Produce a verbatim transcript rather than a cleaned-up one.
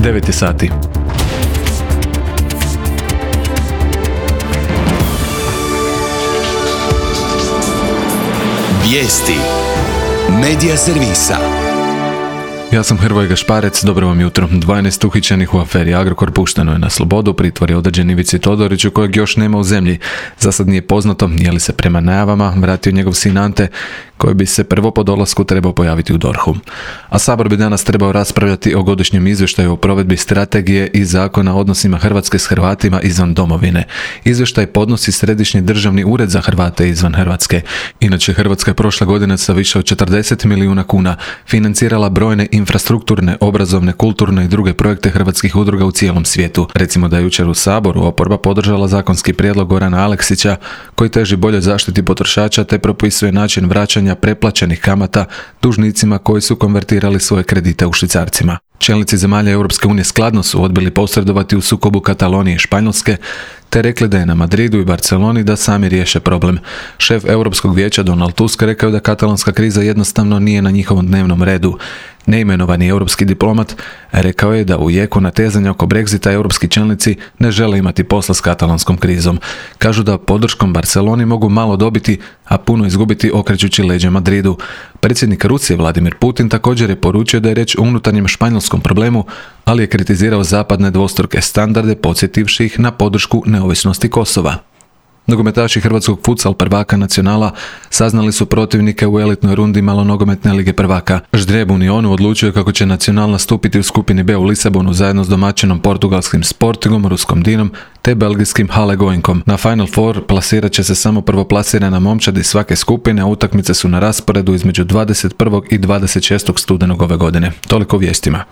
devet je sati. Vijesti Medija servisa. Ja sam Hrvoje Gašparec, dobro vam jutro. dvanaest uhićenih u aferi Agrokor pušteno je na slobodu, pritvor je određen Ivici Todoriću kojeg još nema u zemlji. Za sad nije poznato je li se prema najavama vratio njegov sin Ante, koji bi se prvo po dolasku trebao pojaviti u dorhu. A Sabor bi danas trebao raspravljati o godišnjem izvještaju o provedbi strategije i zakona o odnosima Hrvatske s Hrvatima izvan domovine. Izvještaj podnosi Središnji državni ured za Hrvate izvan Hrvatske. Inače, Hrvatska je prošle godine sa više od četrdeset milijuna kuna financirala brojne infrastrukturne, obrazovne, kulturne i druge projekte hrvatskih udruga u cijelom svijetu. Recimo da je jučer u Saboru oporba podržala zakonski prijedlog Gorana Aleksića koji teži boljoj zaštiti potrošača te propisuje način vraćanja preplaćenih kamata dužnicima koji su konvertirali svoje kredite u švicarcima. Čelnici zemalja Europske unije skladno su odbili posredovati u sukobu Katalonije i Španjolske, te rekli da je na Madridu i Barceloni da sami riješe problem. Šef Europskog vijeća Donald Tusk rekao da katalonska kriza jednostavno nije na njihovom dnevnom redu. Neimenovani europski diplomat rekao je da u jeku natezanja oko Brexita europski čelnici ne žele imati posla s katalonskom krizom. Kažu da podrškom Barceloni mogu malo dobiti, a puno izgubiti okrećući leđa Madridu. Predsjednik Rusije Vladimir Putin također je poručio da je riječ o unutarnjem španjolskom problemu, ali je kritizirao zapadne dvostruke standarde podsjetivši ih na podršku neovisnosti Kosova. Nogometaši hrvatskog futsal prvaka Nacionala saznali su protivnike u elitnoj rundi malonogometne lige prvaka. Ždrijeb Unionu odlučio kako će Nacional nastupiti u skupini B u Lisabonu zajedno s domaćinom portugalskim Sportingom, ruskom Dinom te belgijskim Halle Goinkom. Na Final Four plasirat će se samo prvoplasirana momčad iz svake skupine, a utakmice su na rasporedu između dvadeset prvog i dvadeset šestog studenog ove godine. Toliko o vijestima.